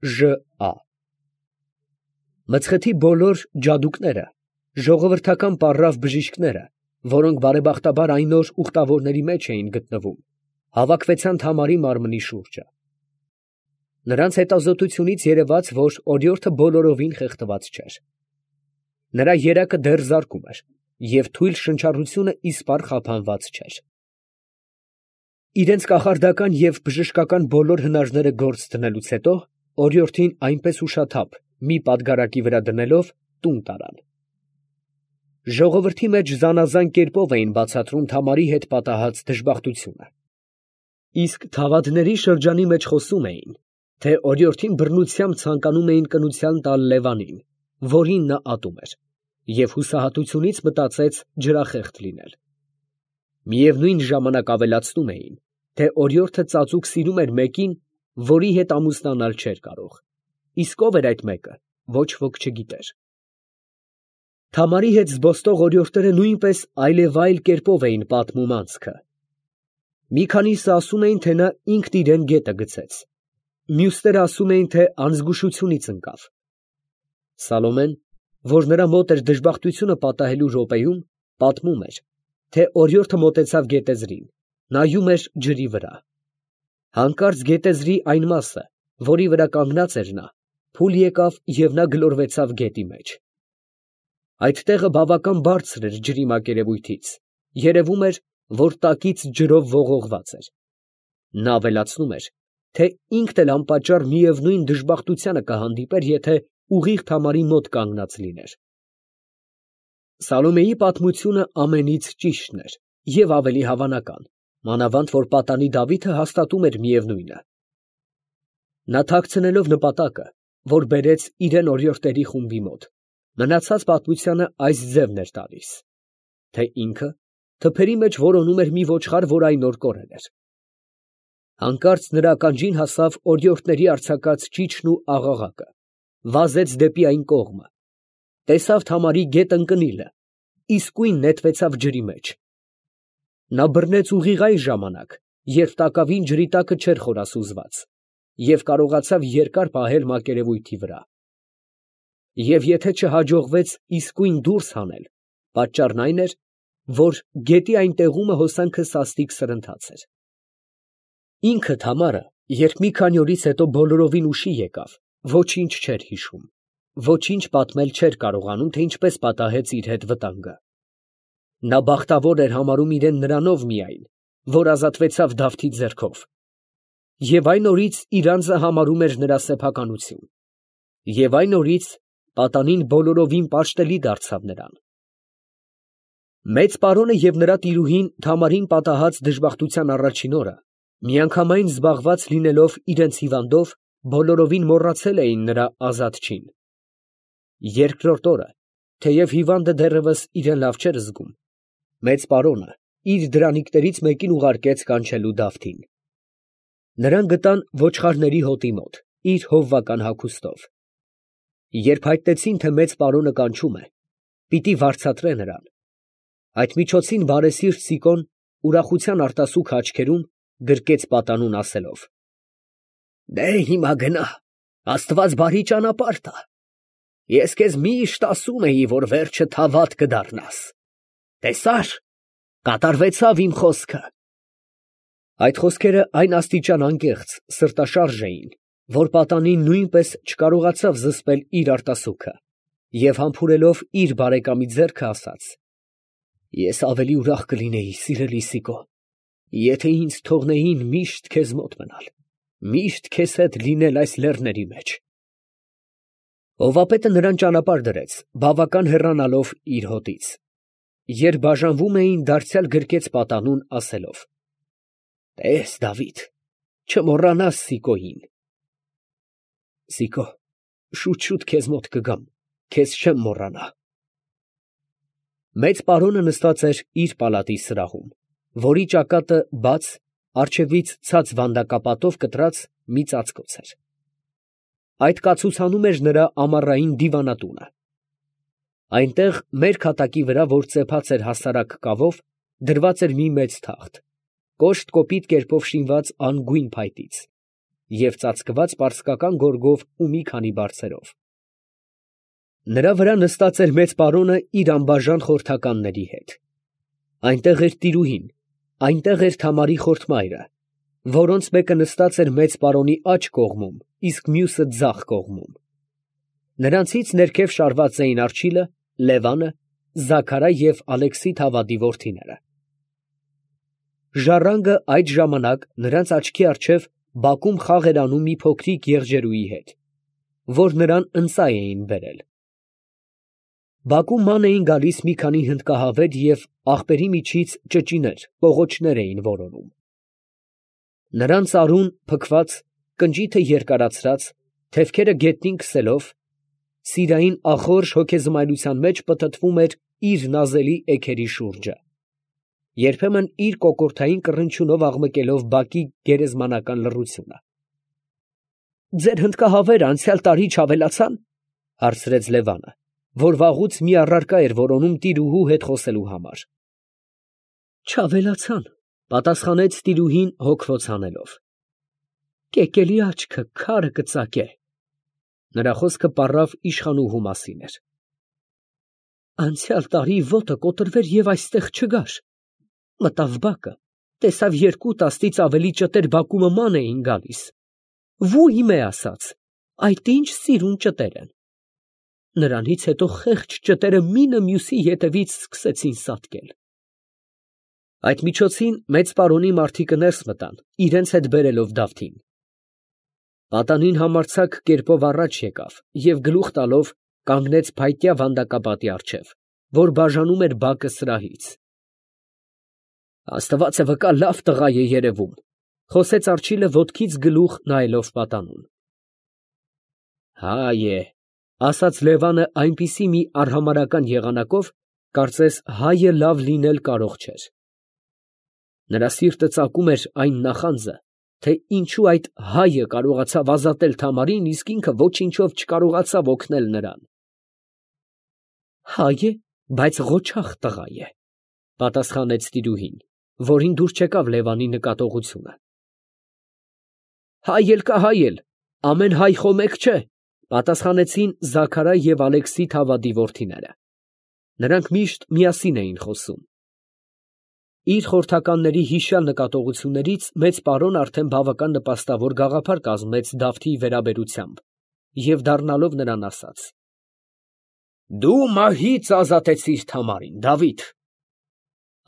ԺԱ Մցխթի բոլոր ջադուկները, ժողովրդական պառավ բժիշկները, որոնք բարեբախտաբար այն օր ուխտավորների մեջ էին գտնվում, հավաքվեցան Թամարի մարմնի շուրջը. նրանց հետազոտությունից երևաց, որ օրիորդը բոլորովին խեղդված չէր. նրա երակը դեռ զարկում էր և թույլ շնչառությունը իսպառ խափանված չէր. իրենց կախարդական և բժշկական բոլոր հնարները գործ դնելուց հետո օրիորդին այնպես ուշաթափ մի պատգարակի վրա դնելով տուն տարան. ժողովրդի մեջ զանազան կերպով էին բացատրում Թամարի հետ պատահած դժբախտությունը. իսկ թավադների շրջանի մեջ խոսում էին, թե օրիորդին բռնությամբ ցանկանում էին կնության տալ Լևանին, որին նա ատում էր, և հուսահատությունից մտածեց ջրախեղդ լինել. միևնույն ժամանակ ավելացնում էին, թե օրիորդը ծածուկ սիրում էր մեկին, որի հետ ամուսնանալ չէր կարող, իսկ ով էր այդ մեկը, ոչ ոք չգիտեր. Թամարի հետ զբոստող օրիորդները նույնպես այլևայլ կերպով էին պատմում անցքը. մի քանիսը ասում էին, թե նա ինքն իրեն գետը գցեց, մյուսները ասում էին, թե անզգուշությունից ընկավ. Սալոմեն, որ նրա մոտ էր դժբախտությունը պատահելու րոպեում, պատմում էր, թե օրիորդը մոտեցավ գետեզրին, նայում էր ջրի վրա. հանկարծ գետեզրի այն մասը, որի վրա կանգնած էր նա, փուլ եկավ և նա գլորվեցավ գետի մեջ. այդ տեղը բավական բարձր էր ջրի մակերևույթից, երևում էր, որ տակից ջրով ողողված էր. նա ավելացնում էր, թե ինքն էլ անպատճառ միևնույն դժբախտությանը կհանդիպեր, եթե ուղիղ Թամարի մոտ կանգնած լիներ. Սալոմեի պատմությունը ամենից ճիշտն էր և ավելի հավանական, մանավանդ որ պատանի Դավիթը հաստատում էր միևնույնը. նա թաքցնելով նպատակը, որ բերեց իրեն օրիորդների խումբի մոտ, մնացած պատմությանը այս ձևն էր տալիս, թե ինքը թփերի մեջ որոնում էր մի ոչխար, որ այն օր կորել էր. հանկարծ նրա ականջին հասավ օրիորդների արձակած ճիչն ու աղաղակը, վազեց դեպի այն կողմը, տեսավ Թամարի գետ ընկնիլը, իսկույն նետվեցավ ջրի մեջ. նա բռնեց ուղիղ այն ժամանակ, երբ տակավին ջրի տակը չէր խորասուզված, և կարողացավ երկար պահել մակերևույթի վրա. և եթե չհաջողվեց իսկույն դուրս հանել, պատճառն այն էր, որ գետի այն տեղումը հոսանքը սաստիկ սրընթաց էր. ինքը Թամարը, երբ մի քանի օրից հետո բոլորովին ուշի եկավ, ոչինչ չէր հիշում, ոչինչ պատմել չէր կարողանում, թե ինչպես պատահեց իր հետ վտանգը. նա բախտավոր էր համարում իրեն նրանով միայն, որ ազատվեցավ Դավթի ձեռքով, և այն օրից իր անձը համարում էր նրա սեփականություն, և այն օրից պատանին բոլորովին պաշտելի դարձավ նրան. Մեծ պարոնը և նրա տիրուհին Թամարին պատահած դժբախտության առաջին օրը, միանգամայն զբաղված լինելով իրենց հիվանդով, բոլորովին մոռացել էին նրա ազատչին. երկրորդ օրը, թեև հիվանդը դեռևս իրեն լավ չէր զգում, մեծ պարոնը իր դրանիկներից մեկին ուղարկեց կանչելու Դավթին. նրան գտան ոչխարների հոտի մոտ, իր հովվական հագուստով. երբ հայտնեցին, թե մեծ պարոնը կանչում է, պիտի վարձատրե նրան, այդ միջոցին բարեսիրտ Սիկոն ուրախության արտասուք աչքերում գրկեց պատանուն ասելով. «Դե հիմա գնա, Աստված բարի ճանապարհ տա, ես քեզ միշտ ասում էի, որ վերջը թավատ կդառնաս, տեսա՞ր, կատարվեցավ իմ խոսքը»։ Այդ խոսքերը այն աստիճան անկեղծ, սրտաշարժ էին, որ պատանին նույնպես չկարողացավ զսպել իր արտասուքը և համբուրելով իր բարեկամի ձեռքը ասաց. «Ես ավելի ուրախ կլինեի, սիրելի Սիկո, եթե ինձ թողնեին միշտ քեզ մոտ մնալ, միշտ քեզ հետ լինել այս լեռների մեջ»։ Հովվապետը նրան ճանապարհ դրեց, բավական հեռանալով իր հոտից. երբ բաժանվում էին, դարձյալ գրկեց պատանուն ասելով. «Տես, Դավիթ, չմոռանաս Սիկոյին»։ Սիկո, շուտ քեզ մոտ կգամ, քեզ չեմ մոռանա։ Մեծ պարոնը նստած էր իր պալատի սրահում, որի ճակատը բաց, առջևից ցած վանդակապատով կտրած մի ծածկոց էր. այդ կացուցանում էր նրա ամառային դիվանատունը։ Այնտեղ մեր քատակի վրա, որ ծեփած էր հասարակ կավով, դրված էր մի մեծ թախտ, կոշտ կոպիտ կերպով շինված անգույն փայտից, և ծածկված պարսկական գորգով ու մի քանի բարձերով։ Նրա վրա նստած էր մեծ պարոնը իր անբաժան խորհրդականների հետ։ Այնտեղ էր տիրուհին, այնտեղ էր Թամարի խորթմայրը, որոնց մեկը նստած էր մեծ պարոնի աջ կողմում, իսկ մյուսը ձախ կողմում։ Նրանցից ներքև շարված էին Առջիլը, Լևանը, Զաքարը և Ալեքսի Թավադի որդիները։ Ժառանգը այդ ժամանակ նրանց աչքի առջև բակում խաղ էր անում մի փոքրիկ եղջերուի հետ, որ նրան ընծայ էին բերել։ Բակում ման էին գալիս մի քանի հնդկահավեր և աղբերի միջից ճճիներ, պողոտչներ էին որոնում։ Նրան ծարուն, փքված, կնճիթը երկարացրած, թևքերը գետնին քսելով, սիրային ախորժ հոգեզմայլության մեջ պտտվում էր իր նազելի էգերի շուրջը, երբեմն իր կոկորդային կռնչյունով աղմկելով բակի գերեզմանական լռությունը։ ֊ Ձեր հնդկահավերը անցյալ տարի չավելացա՞ն, ֊ հարցրեց Լևանը, որ վաղուց մի առարկա էր որոնում տիրուհու հետ խոսելու համար։ ֊ Չավելացան, ֊ պատասխանեց տիրուհին հոգվոց հանելով։ ֊ Կեկելի աչքը քարը կծակե։ Նրա խոսքը պառավ իշխանուհու մասին էր։ Անցյալ տարի ոտը կոտրվեր և այստեղ չգար։ Մտավ բակը, տեսավ երկու տասնից ավելի ճտեր բակումը ման էին գալիս։ Վույմ է ասաց, այդ ինչ սիրուն ճտեր են։ Նրանից հետո խեղճ ճտերը մինը մյուսի ետևից սկսեցին սատկել։ Այդ միջոցին մեծ պարոնի մարդիկը ներս մտան, իրենց հետ բերելով Դավթին։ Պատանին համարձակ կերպով առաջ եկավ և գլուխ տալով կանգնեց փայտյա վանդակապատի առջև, որ բաժանում էր բակը սրահից։ Աստվածը վկա, լավ տղա է երևում, ֊ խոսեց Առջիլը ոտքից գլուխ նայելով պատանուն։ Հայ է, ֊ ասաց Լևանը այնպիսի մի արհամարհական եղանակով, կարծես հայը լավ լինել կարող չէր։ Նրա սիրտը ծակում էր այն նախանձը, թե ինչու այդ հայը կարողացավ ազատել Թամարին, իսկ ինքը ոչինչով չկարողացավ օգնել նրան։ Հայ է, բայց ղոչաղ տղա է, ֊ պատասխանեց տիրուհին, որին դուր չեկավ Լևանի նկատողությունը։ Հայ էլ կա հայ էլ, ամեն հայ խոմեկ չէ, ֊ պատասխանեցին Զաքարը և Ալեքսի Թավադի որդիները։ Նրանք միշտ միասին էին խոսում։ Իր խորհրդականների հիշյալ նկատողություններից մեծ պարոն արդեն բավական նպաստավոր գաղափար կազմեց Դավթի վերաբերությամբ և դառնալով նրան ասաց. Դու մահից ազատեցիր Թամարին, Դավիթ,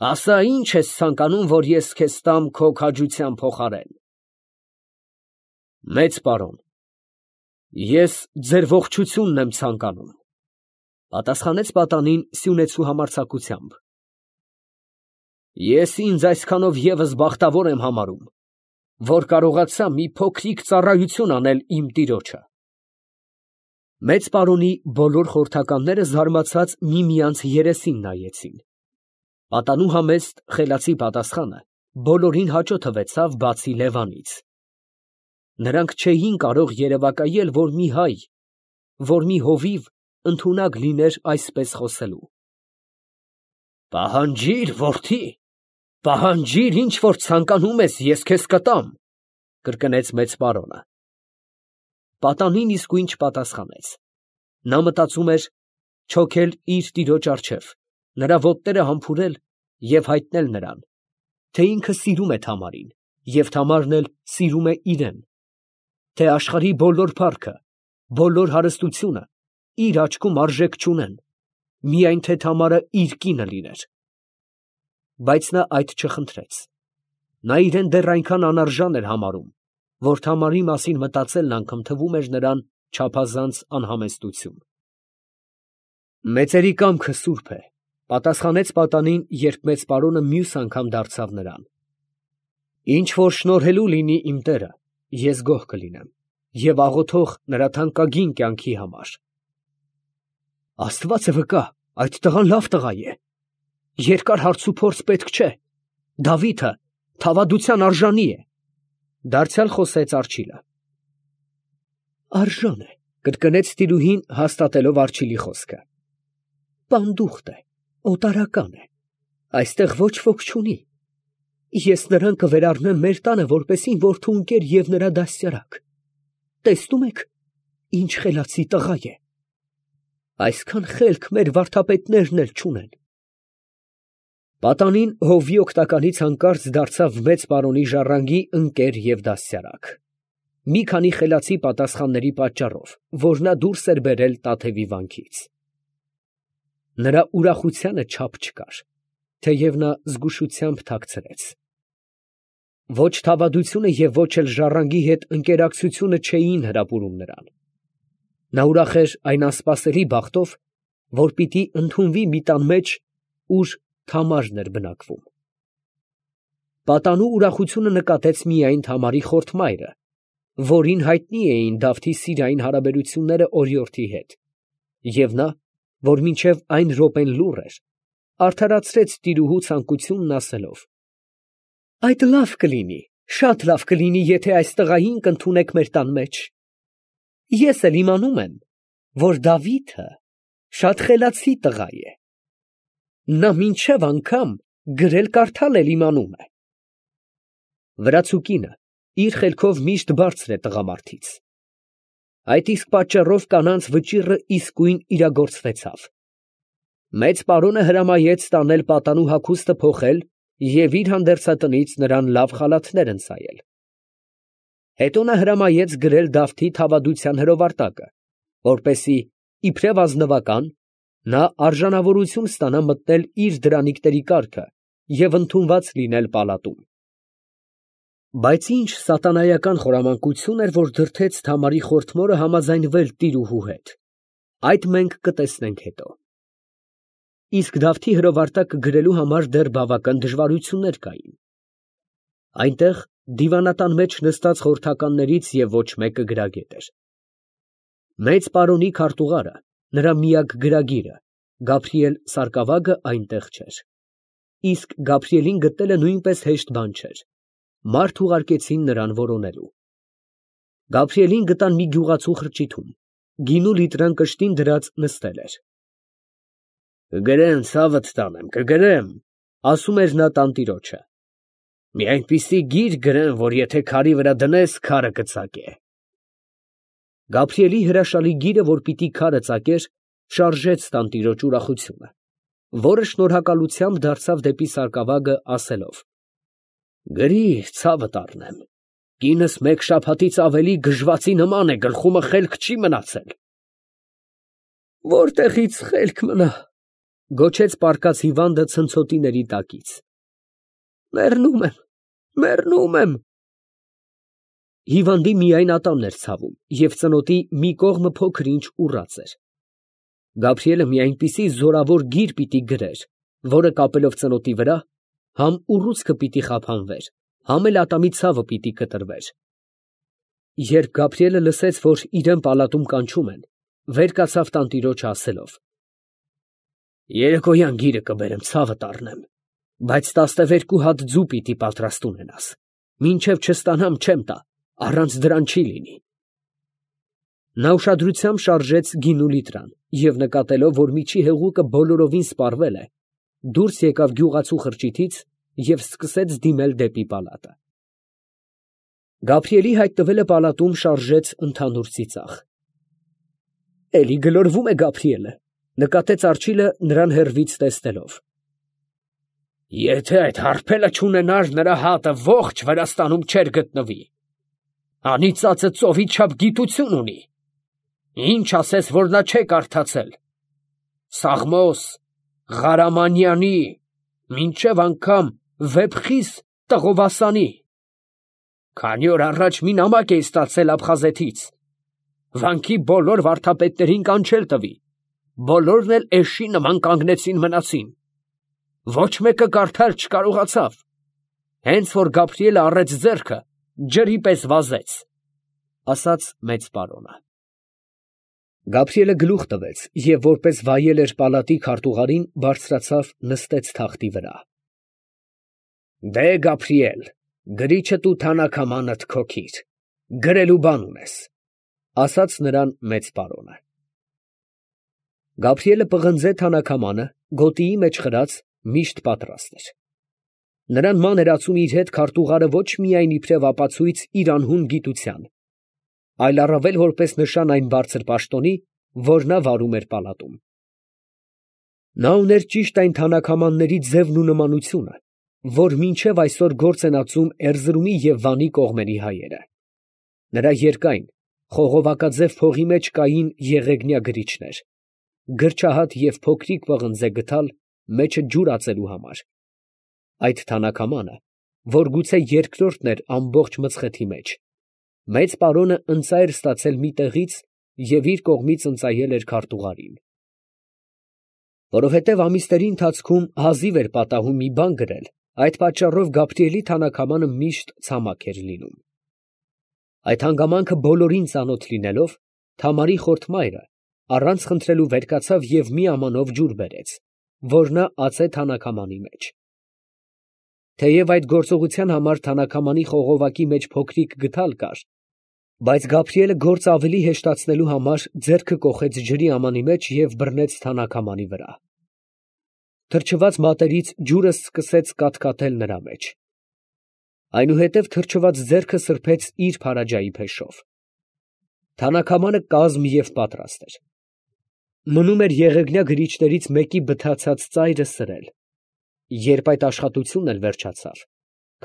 ասա ինչ ես ցանկանում, որ ես քեզ տամ քո քաջության փոխարեն։ Մեծ պարոն, ես ձեր ողջությունն եմ ցանկանում, ֊ պատասխանեց պատանին սյունեցու համարձակությամբ։ Ես ինձ այսքանով ևս բախտավոր եմ համարում, որ կարողացա մի փոքրիկ ծառայություն անել իմ տիրոջը։ Մեծ պարոնի բոլոր խորհրդականները զարմացած միմյանց երեսին նայեցին։ Պատանու համեստ խելացի պատասխանը բոլորին հաճո թվեցավ, բացի Լևանից։ Նրանք չէին կարող երևակայել, որ մի հայ, որ մի հովիվ ընդունակ լիներ այսպես խոսելու։ Պահանջիր, որդի, պահանջիր, ինչ որ ցանկանում ես, ես քեզ կտամ, ֊ կրկնեց մեծ պարոնը։ Պատանին իսկույն չպատասխանեց։ Նա մտածում էր չոքել իր տիրոջ առջև, նրա ոտները համբուրել և հայտնել նրան, թե ինքը սիրում է Թամարին, և Թամարն էլ սիրում է իրեն, թե աշխարհի բոլոր փառքը, բոլոր հարստությունը իր աչքում արժեք չունեն, միայն թե Թամարը իր կինը լիներ։ Բայց նա այդ չխնդրեց։ Նա իրեն դեռ այնքան անարժան էր համարում, որ Թամարի մասին մտածելն անգամ թվում էր նրան չափազանց անհամեստություն։ Մեծերի կամքը սուրբ է, ֊ պատասխանեց պատանին, երբ մեծ պարոնը մյուս անգամ դարձավ նրան։ Ինչ որ շնորհելու լինի իմ տերը, ես գոհ կլինեմ և աղոթող նրա թանկագին կյանքի համար։ Աստվածը վկա, այդ տղան լավ տղա է։ Երկար հարցուփորձ պետք չէ։ Դավիթը թավադության արժանի է, ֊ դարձյալ խոսեց Առջիլը։ Արժան է, ֊ կրկնեց տիրուհին, հաստատելով Առջիլի խոսքը։ Պանդուխտ է, օտարական է, այստեղ ոչ ոք չունի։ Ես նրան կվերառնեմ մեր տանը որպեսի որդու ընկեր և նրա դաստիարակ։ Տեսնում եք, ինչ խելացի տղա է։ Այսքան խելք մեր վարդապետներն էլ չունեն։ Պատանին հովվի օգնականից հանկարծ դարձավ մեծ պարոնի ժառանգի ընկեր և դաստիարակ։ Մի քանի խելացի պատասխանների պատճառով, որ նա դուրս էր բերել Տաթևի վանքից։ Նրա ուրախությանը չափ չկար, թեև նա զգուշությամբ թաքցրեց։ Ոչ թավադությունը և ոչ էլ ժառանգի հետ ընկերակցությունը չէին հրապուրում նրան։ Նա ուրախ էր այն անսպասելի բախտով, որ պիտի ընդունվի մի տան մեջ, ուր Թամարն էր բնակվում։ Պատանու ուրախությունը նկատեց միայն Թամարի խորթմայրը, որին հայտնի էին Դավթի սիրային հարաբերությունները օրիորդի հետ, և նա, որ մինչև այն րոպեն լուռ էր, արդարացրեց տիրուհու ցանկությունն ասելով. «Այդ լավ կլինի, շատ լավ կլինի, եթե այս տղային կընդունեք մեր տան մեջ։ Ես էլ իմանում եմ, որ Դավիթը շատ խելացի տղա է։ Նա մինչև անգամ գրել֊կարդալ էլ իմանում է»։ Վրացու կինը իր խելքով միշտ բարձր է տղամարդից։ Այդ իսկ պատճառով կանանց վճիռը իսկույն իրագործվեցավ։ Մեծ պարոնը հրամայեց տանել պատանու հագուստը փոխել և իր հանդերձատնից նրան լավ խալաթներ ընծայել։ Հետո նա հրամայեց գրել Դավթի թավադության հրովարտակը, որպեսզի իբրև ազնվական նա արժանավորություն ստանա մտնել իր դրանիկների կառքը և ընդունված լինել պալատում։ Բայց ինչ սատանայական խորամանկություն էր, որ դրդեց Թամարի խորթմորը համաձայնվել տիրուհու հետ, այդ մենք կտեսնենք հետո։ Իսկ Դավթի հրովարտակը գրելու համար դեռ բավական դժվարություններ կային։ Այնտեղ դիվանատան մեջ նստած խորհրդականներից և ոչ մեկը գրագետ էր։ Մեծ պարոնի քարտուղարը, նրա միակ գրագիրը, Գաբրիել սարկավագը այնտեղ չէր։ Իսկ Գաբրիելին գտնելը նույնպես հեշտ բան չէր։ Մարդ ուղարկեցին նրան որոնելու։ Գաբրիելին գտան մի գյուղացու խրճիթում, գինու լիտրան կշտին դրած նստել էր։ «Կգրեմ, ցավդ տանեմ, կգրեմ», ասում էր նա տանտիրոջը։ «Մի այնպիսի գիր գրեմ, որ եթե քարի վրա դնես, քարը կծակե»։ Գաբրիելի հրաշալի գիրը, որ պիտի քարը ծակեր, շարժեց տանտիրոջ ուրախությունը, որը շնորհակալությամբ դարձավ դեպի սարկավագը, ասելով. «Գրիր, ցավդ առնեմ, կինս մեկ շաբաթից ավելի գժվացի նման է, գլխումը խելք չի մնացել»։ «Որտեղից խելք մնա», գոչեց պառկած հիվանդը ցնցոտիների տակից։ «Մեռնում եմ, մեռնում եմ»։ Հիվանդի միայն ատամն էր ցավում և ծնոտի մի կողմը փոքր-ինչ ուռած էր։ Գաբրիելը մի այնպիսի զորավոր գիր պիտի գրեր, որը կապելով ծնոտի վրա, համ ուռուցքը պիտի խափանվեր, համ էլ ատամի ցավը պիտի կտրվեր։ Երբ Գաբրիելը լսեց, որ իրան պալատում կանչում են, վեր կացավ տանտիրոջը ասելով. «Երեկոյան գիրը կբերեմ, ցավդ առնեմ, բայց 12 հատ ձու պիտի պատրաստ ունենաս, մինչև չստանամ չեմ տա, առանց դրան չի լինի»։ Նա ուշադրությամբ շարժեց գինու լիտրան և նկատելով, որ միջի հեղուկը բոլորովին սպառվել է, դուրս եկավ գյուղացու խրճիթից և սկսեց դիմել դեպի պալատը։ Գաբրիելի հայտնվելը պալատում շարժեց ընդհանուր ծիծաղ։ «Էլի գլորվում է Գաբրիելը», նկատեց արջիլը նրան հեռվից տեսնելով։ «Եթե այդ հարբելը չունենար, նրա հատը ողջ Վրաստանում չէր գտնվի։ Անիծածը ծովի չափ գիտություն ունի։ Ինչ ասես, որ նա չէ կարդացել։ Սաղմոս, Ղարամանյանի, մինչև անգամ Վեփխիս Տղովասանի։ Քանի օր առաջ մի նամակ էի ստացել Աբխազեթից։ Վանքի բոլոր վարդապետներին կանչել տվի, բոլորն էլ էշի նման կանգնեցին մնացին։ Ոչ մեկը կարդալ չկարողացավ։ Հենց որ Գաբրիելը առեց ձեռքը, ջրի պես վազեց», ասաց մեծ պարոնը։ Գաբրիելը գլուխ տվեց և որպես վայել էր պալատի քարտուղարին, բարձրացավ, նստեց թախտի վրա։ «Դե, Գաբրիել, գրիչդ ու թանաքամանդ քոքիր, գրելու բան ունես», ասաց նրան մեծ պարոնը։ Գաբրիելը պղնձե թանաքամանը, գոտիի մեջ խրած, միշտ պատրաստ էր։ Նրան ման էր ածում իր հետ քարտուղարը ոչ միայն իբրև ապացույց իր անհուն գիտության, այլ առավել որպես նշան այն բարձր պաշտոնի, որ նա վարում էր պալատում։ Նա ուներ ճիշտ այն թանաքամանների ձևն ու նմանությունը, որ մինչև այսօր գործ են ածում Էրզրումի և Վանի կողմերի հայերը։ Նրա երկայն, խողովակաձև փողի մեջ կային եղեգնյա գրիչներ, գրչահատ և փոքրիկ պղնձե գդալ մեջը ջուր ածելու համար։ Այդ թանաքամանը, որ գուցե երկրորդն էր ամբողջ մծխეთი մեջ, մեծ պարոնը ընծա էր ստացել մի տեղից և իր կողմից ընծայել էր քարտուղարին։ Որովհետև ամիսների ընթացքում հազիվ էր պատահում մի բան գրել, այդ պատճառով Գաբրիելի թանաքամանը միշտ ցամաք էր լինում։ Այդ հանգամանքը բոլորին ծանոթ լինելով, Թամարի խորթ մայրը առանց խնդրելու վեր կացավ և մի ամանով ջուր բերեց, որ նա ածե թանաքամանի մեջ։ Թեև այդ գործողության համար թանաքամանի խողովակի մեջ փոքրիկ գդալ կար, բայց Գաբրիելը գործը ավելի հեշտացնելու համար ձեռքը կոխեց ջրի ամանի մեջ և բռնեց թանաքամանի վրա։ Թրջված մատերից ջուրը սկսեց կաթկաթել նրա մեջ։ Այնուհետև թրջված ձեռքը սրբեց իր փարաջայի փեշով։ Թանաքամանը կազմ և պատրաստ էր։ Մնում էր եղեգնյա գրիչներից մեկի բթացած ծայրը սրել։ Երբ այդ աշխատությունն էլ վերջացավ,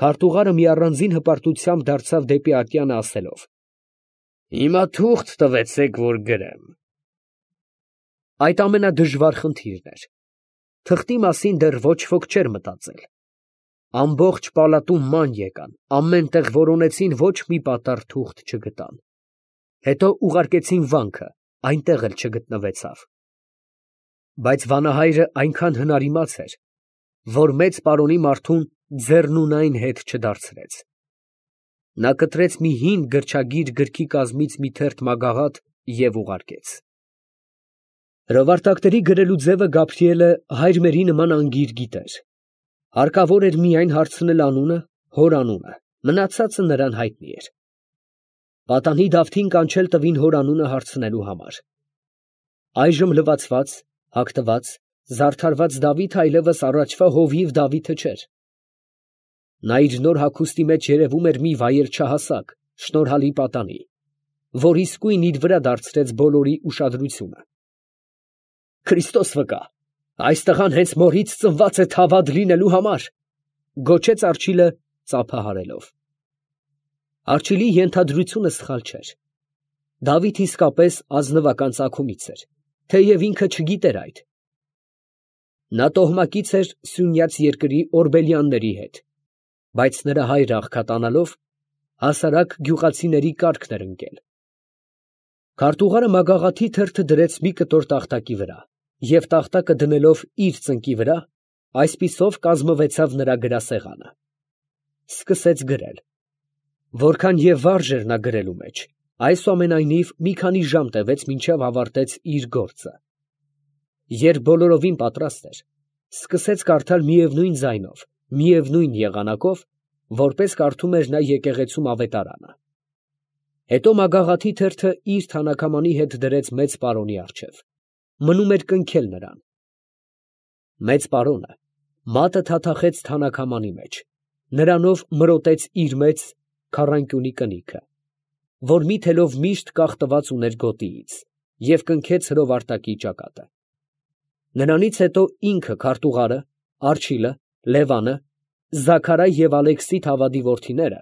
քարտուղարը մի առանձին հպարտությամբ դարձավ դեպի ատյանը ասելով. «Հիմա թուղթ տվեցեք, որ գրեմ»։ Այդ ամենադժվար խնդիրն էր։ Թղթի մասին դեռ ոչ ոք չէր մտածել։ Ամբողջ պալատում ման եկան, ամեն տեղ որոնեցին, ոչ մի պատառ թուղթ չգտան։ Հետո ուղարկեցին վանքը, այնտեղ էլ չգտնվեցավ։ Բայց վանահայրը այնքան հնարիմաց էր, որ մեծ պարոնի մարդուն ձեռնունայն հետ չդարձրեց։ Նա կտրեց մի հին գրչագիր գրքի կազմից մի թերթ մագաղաթ և ուղարկեց։ Հրովարտակների գրելու ձևը Գաբրիելը հայր մերի նման անգիր գիտեր։ Հարկավոր էր միայն հարցնել անունը, հոր անունը, մնացածը նրան հայտնի էր։ Պատանի Դավթին կանչել տվին հոր անունը հարցնելու համար։ Այժմ լվացված, հագնված, զարդարված Դավիթը այլևս առաջվա հովիվ Դավիթը չէր։ Նա իր նոր հագուստի մեջ երևում էր մի վայել չհասակ, շնորհալի պատանի, որ իսկույն իր վրա դարձրեց բոլորի ուշադրությունը։ «Քրիստոս վկա, այս տղան հենց մորից ծնված է թավադ լինելու համար», ֊ գոչեց արջիլը ծափահարելով։ Արջիլի ենթադրությունը սխալ չէր։ Դավիթ իսկապես ազնվական ծագումից էր, թեև ինքը չգիտեր այդ։ Նա տոհմակից էր Սյունյաց երկրի օրբելյանների հետ, բայց նրա հայրը աղքատանալով, հասարակ գյուղացիների կառքն էր ընկել։ Քարտուղարը մագաղաթի թերթը դրեց մի կտոր տախտակի վրա և տախտակը դնելով իր ծնկի վրա, այսպիսով կազմվեցավ նրա գրասեղանը։ Սկսեց գրել։ Որքան և վարժ էր նա գրելու մեջ, այսուամենայնիվ մի քանի ժամ տևեց, մինչև ավարտեց իր գործը։ Երբ բոլորովին պատրաստ էր, սկսեց կարդալ միևնույն ձայնով, միևնույն եղանակով, որպես կարդում էր նա եկեղեցում ավետարանը։ Հետո մագաղաթի թերթը իր թանաքամանի հետ դրեց մեծ պարոնի առջև։ Մնում էր կնքել նրան։ Մեծ պարոնը մատը թաթախեց թանաքամանի մեջ, նրանով մրոտեց իր մեծ քառանկյունի կնիքը, որ մի թելով միշտ կախտված ուներ գոտիից, և կնքեց հրովարտակի ճակատը։ Նրանից հետո ինքը քարտուղարը, Արջիլը, Լևանը, Զաքարայ և Ալեքսի Թավադի որդիները,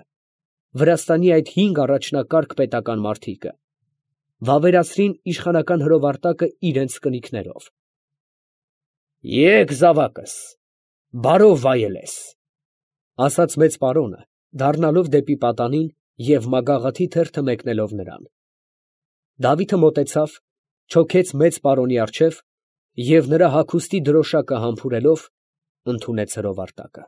Վրաստանի այդ 5 առաջնակարգ պետական մարդիկը, վավերացրին իշխանական հրովարտակը իրենց կնիկներով։ «Եկ զավակս, բարով վայելես», ֊ ասաց մեծ պարոնը, դառնալով դեպի պատանին և մագաղաթի թերթը մեկնելով նրան։ Դավիթը մոտեցավ, չոքեց մեծ պարոնի առջև և նրա հագուստի դրոշակը համբուրելով, ընդունեց հրովարտակը։